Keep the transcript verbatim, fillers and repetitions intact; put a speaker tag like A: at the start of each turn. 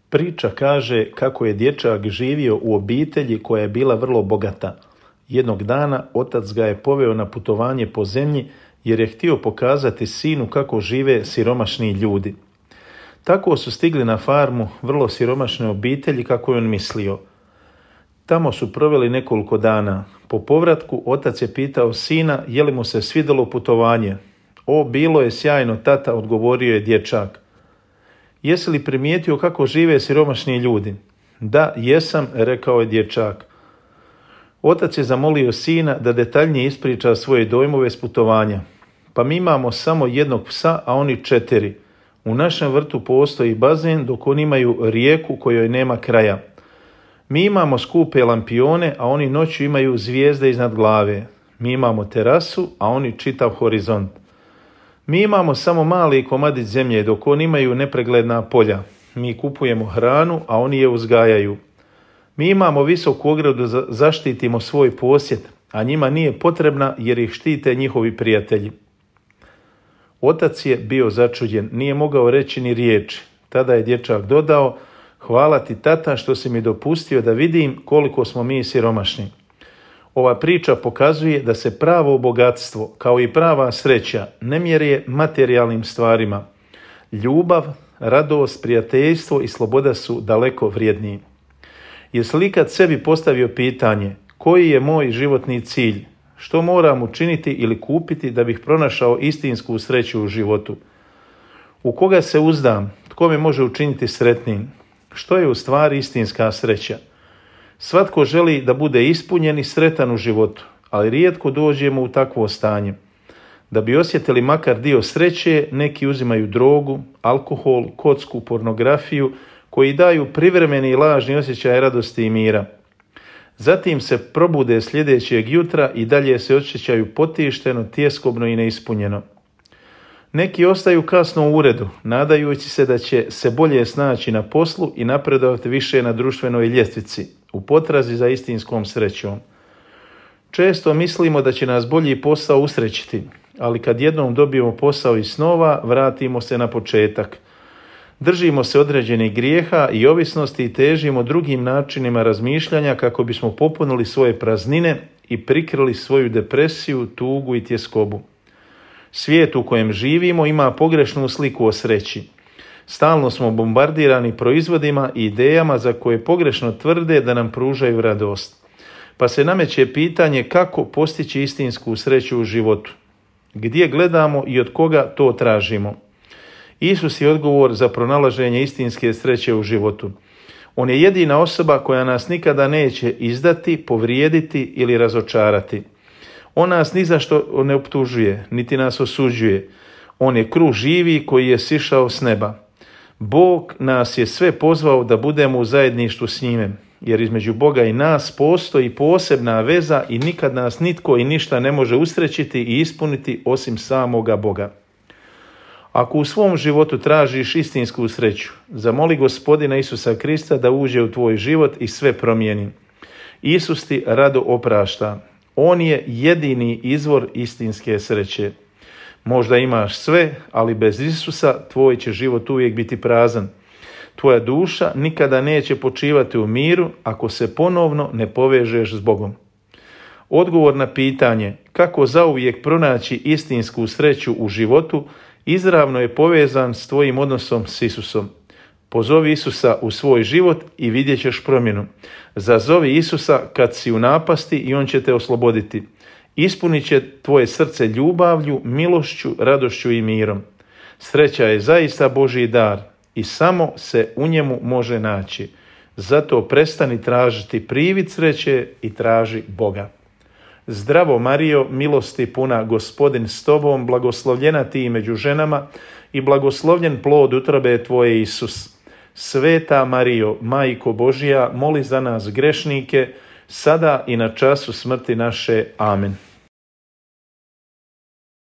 A: Priča kaže kako je dječak živio u obitelji koja je bila vrlo bogata. Jednog dana otac ga je poveo na putovanje po zemlji jer je htio pokazati sinu kako žive siromašni ljudi. Tako su stigli na farmu vrlo siromašne obitelji kako je on mislio. Tamo su proveli nekoliko dana. Po povratku otac je pitao sina je li mu se svidjelo putovanje. O, bilo je sjajno, tata, odgovorio je dječak. Jesi li primijetio kako žive siromašni ljudi? Da, jesam, rekao je dječak. Otac je zamolio sina da detaljnije ispriča svoje dojmove s putovanja. Pa mi imamo samo jednog psa, a oni četiri. U našem vrtu postoji bazen dok oni imaju rijeku kojoj nema kraja. Mi imamo skupe lampione, a oni noću imaju zvijezde iznad glave. Mi imamo terasu, a oni čitav horizont. Mi imamo samo mali komadić zemlje, dok oni imaju nepregledna polja. Mi kupujemo hranu, a oni je uzgajaju. Mi imamo visoku ogradu da zaštitimo svoj posjed, a njima nije potrebna jer ih štite njihovi prijatelji. Otac je bio začuđen, nije mogao reći ni riječi. Tada je dječak dodao, hvala ti tata što si mi dopustio da vidim koliko smo mi siromašni. Ova priča pokazuje da se pravo bogatstvo, kao i prava sreća, ne mjeri materijalnim stvarima. Ljubav, radost, prijateljstvo i sloboda su daleko vrijedniji. Jesi li kad sebi postavio pitanje, koji je moj životni cilj? Što moram učiniti ili kupiti da bih pronašao istinsku sreću u životu? U koga se uzdam? Tko me može učiniti sretnim? Što je u stvari istinska sreća? Svatko želi da bude ispunjen i sretan u životu, ali rijetko dođemo u takvo stanje. Da bi osjetili makar dio sreće, neki uzimaju drogu, alkohol, kocku, pornografiju, koji daju privremeni i lažni osjećaj radosti i mira. Zatim se probude sljedećeg jutra i dalje se osjećaju potišteno, tjeskobno i neispunjeno. Neki ostaju kasno u uredu, nadajući se da će se bolje snaći na poslu i napredovati više na društvenoj ljestvici, u potrazi za istinskom srećom. Često mislimo da će nas bolji posao usrećiti, ali kad jednom dobijemo posao iz snova, vratimo se na početak. Držimo se određenih grijeha i ovisnosti i težimo drugim načinima razmišljanja kako bismo popunili svoje praznine i prikrili svoju depresiju, tugu i tjeskobu. Svijet u kojem živimo ima pogrešnu sliku o sreći. Stalno smo bombardirani proizvodima i idejama za koje pogrešno tvrde da nam pružaju radost. Pa se nameće pitanje kako postići istinsku sreću u životu. Gdje gledamo i od koga to tražimo? Isus je odgovor za pronalaženje istinske sreće u životu. On je jedina osoba koja nas nikada neće izdati, povrijediti ili razočarati. On nas ni za što ne optužuje, niti nas osuđuje. On je kruh živi koji je sišao s neba. Bog nas je sve pozvao da budemo u zajedništvu s njime, jer između Boga i nas postoji posebna veza i nikad nas nitko i ništa ne može usrećiti i ispuniti osim samoga Boga. Ako u svom životu tražiš istinsku sreću, zamoli Gospodina Isusa Krista da uđe u tvoj život i sve promijeni. Isus ti rado oprašta. On je jedini izvor istinske sreće. Možda imaš sve, ali bez Isusa tvoj će život uvijek biti prazan. Tvoja duša nikada neće počivati u miru ako se ponovno ne povežeš s Bogom. Odgovor na pitanje kako zauvijek pronaći istinsku sreću u životu izravno je povezan s tvojim odnosom s Isusom. Pozovi Isusa u svoj život i vidjet ćeš promjenu. Zazovi Isusa kad si u napasti i on će te osloboditi. Ispunit će tvoje srce ljubavlju, milošću, radošću i mirom. Sreća je zaista Božji dar i samo se u njemu može naći. Zato prestani tražiti privid sreće i traži Boga. Zdravo Marijo, milosti puna, Gospodin s tobom, blagoslovljena ti među ženama i blagoslovljen plod utrobe tvoje Isus. Sveta Marijo, Majko Božja, moli za nas grešnike, sada i na času smrti naše. Amen.